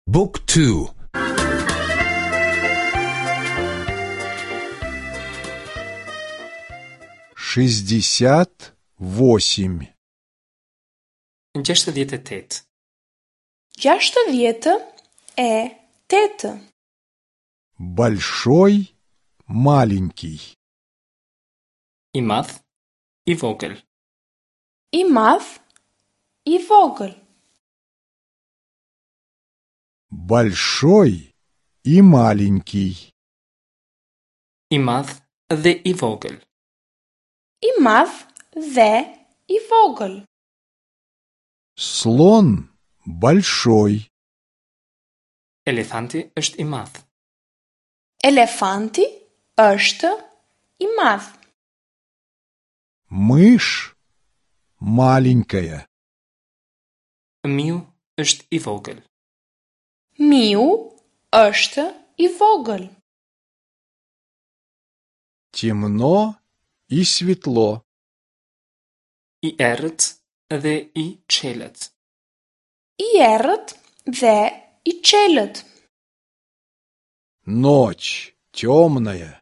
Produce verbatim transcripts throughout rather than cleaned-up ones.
Book two. Шестьдесят восемь. Gjashtëdhjetë e tetë. Gjashtëdhjetë e tetë. Большой, маленький. I madh, i vogël. I madh, i vogël. Большой и маленький. I madh dhe i vogël. I madh dhe i vogël. Слон большой. Elefanti është i madh. Elefanti është i madh. Мышь маленькая. Miu është i vogël. Miu është i vogël. Темно и светло. I errët dhe i çelët. I errët dhe i çelët. Ночь темная.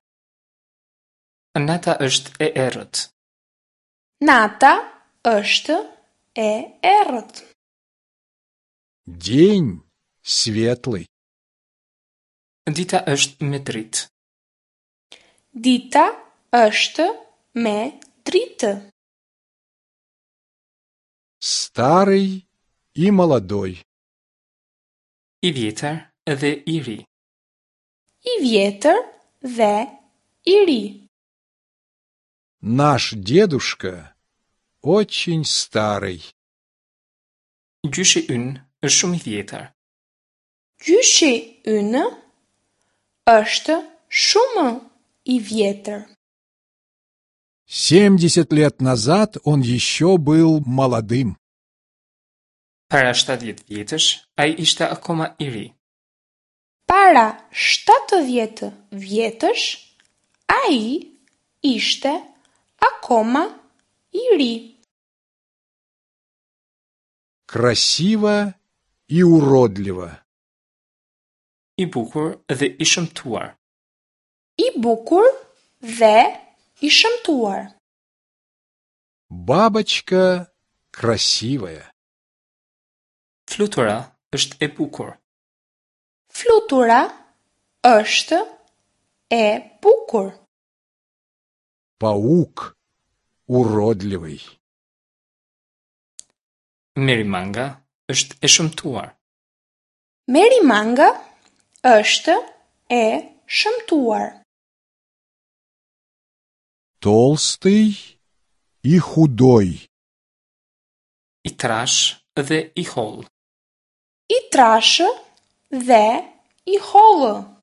Nata është e errët. Nata është e errët. День светлый. Dita është me dritë. Dita është me dritë. Старый и молодой. I vjetër dhe i ri. I vjetër dhe i ri. Наш дедушка очень старый. Gjyshi ynë është shumë i vjetër. Gjyshi ynë është shumë i vjetër. Семьдесят лет назад он еще был молодым. Para shtatëdhjetë vjetësh, ai ishte akoma i ri. Para shtatëdhjetë vjetësh, ai ishte akoma i ri. Красиво и уродливо. I bukur dhe i shëmtuar. I bukur dhe i shëmtuar. Бабочка красивая. Flutura është e bukur. Flutura është e bukur. Паук уродливый. Merimanga është e shëmtuar. Merimanga është e shëmtuar. Толстый и худой. I trash dhe i hollë. I trashë dhe i hollë.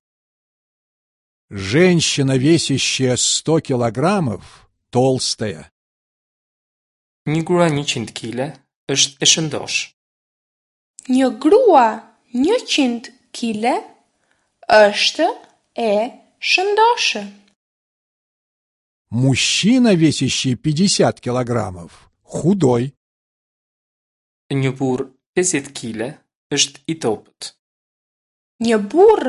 Женщина, весящая сто килограммов, толстая. Një grua njëqind kile është e shëndosh. Një grua njëqind kile është e shëndoshë. Мужчина, весящий пятьдесят килограммов, худой. Një burr pesëdhjetë kile është i dobët. Një burr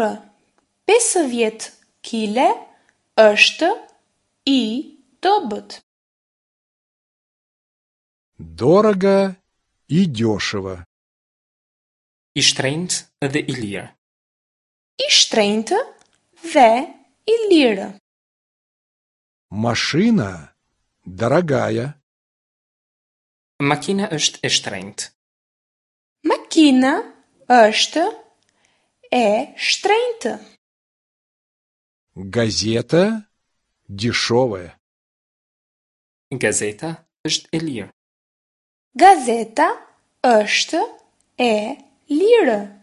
pesëdhjetë kile është i dobët. Дорого и дешево. I shtrenjtë dhe i lirë. I shtrenjtë dhe i lirë. Машина дорогая. Makina është e shtrenjtë. Makina është e shtrenjtë. Газета дешевая. Gazeta është e lirë. Gazeta është e lirë.